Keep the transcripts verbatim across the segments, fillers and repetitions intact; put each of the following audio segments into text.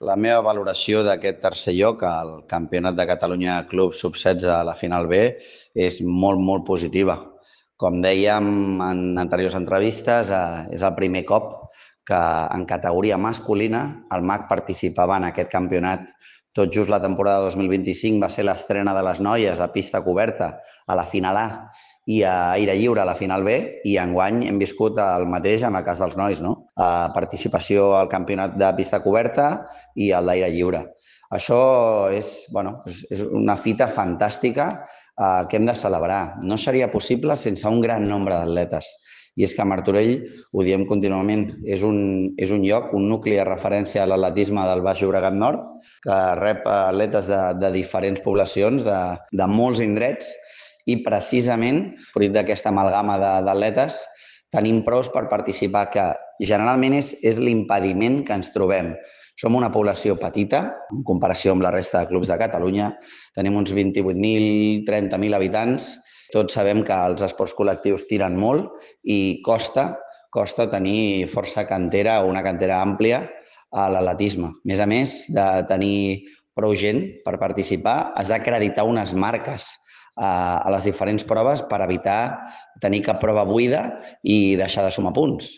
La meva valoració d'aquest tercer lloc al Campionat de Catalunya Club sub setze a la final B és molt, molt positiva. Com dèiem en anteriors entrevistes, eh, és el primer cop que en categoria masculina el M A C participava en aquest campionat. Tot just la temporada dos mil vint-i-cinc va ser l'estrena de les noies a pista coberta a la final A i a aire lliure a la final B, i enguany hem viscut el mateix en el cas dels nois, no? Participació al campionat de pista coberta i al d'aire lliure. Això és, bueno, és una fita fantàstica eh, que hem de celebrar. No seria possible sense un gran nombre d'atletes. I és que a Martorell, ho diem contínuament, és un, és un lloc, un nucli de referència a l'atletisme del Baix Llobregat Nord, que rep atletes de, de diferents poblacions, de, de molts indrets, i precisament, fruit d'aquesta amalgama d'atletes, tenim pros per participar, que generalment és, és l'impediment que ens trobem. Som una població petita, en comparació amb la resta de clubs de Catalunya. Tenim uns vint-i-vuit mil, trenta mil habitants. Tots sabem que els esports col·lectius tiren molt i costa, costa tenir força cantera o una cantera àmplia a l'atletisme. A més a més de tenir prou gent per participar, has d'acreditar unes marques a les diferents proves per evitar tenir cap prova buida i deixar de sumar punts.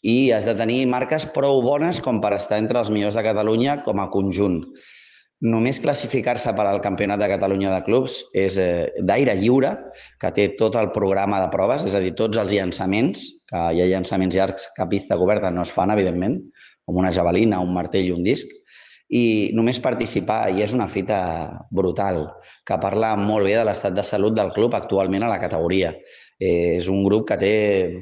I has de tenir marques prou bones com per estar entre els millors de Catalunya com a conjunt. Només classificar-se per al Campionat de Catalunya de Clubs és d'aire lliure, que té tot el programa de proves, és a dir, tots els llançaments, que hi ha llançaments llargs que a pista coberta no es fan, evidentment, com una javelina, un martell i un disc, i només participar, i és una fita brutal, que parla molt bé de l'estat de salut del club actualment a la categoria. És un grup que té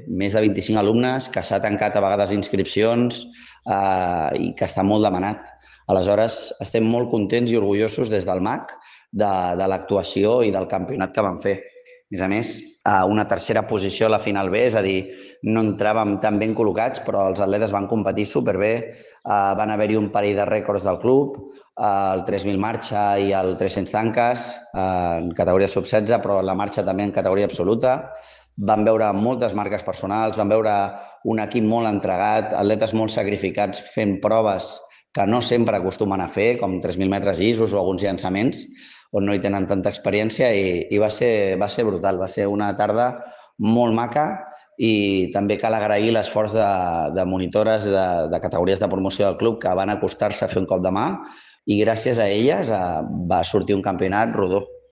més de vint-i-cinc alumnes, que s'ha tancat a vegades inscripcions eh, i que està molt demanat. Aleshores, estem molt contents i orgullosos des del M A C de, de l'actuació i del campionat que vam fer. A més a més, una tercera posició a la final B, és a dir, no entràvem tan ben col·locats, però els atletes van competir superbé, van haver-hi un parell de rècords del club, el tres mil marxa i el tres-cents tanques, en categoria sub setze, però la marxa també en categoria absoluta. Vam veure moltes marques personals, vam veure un equip molt entregat, atletes molt sacrificats fent proves que no sempre acostumen a fer, com tres mil metres llisos o alguns llançaments, on no hi tenen tanta experiència, i, i va, ser, va ser brutal. Va ser una tarda molt maca, i també cal agrair l'esforç de, de monitores de, de categories de promoció del club que van acostar-se a fer un cop de mà, i gràcies a elles va sortir un campionat rodó.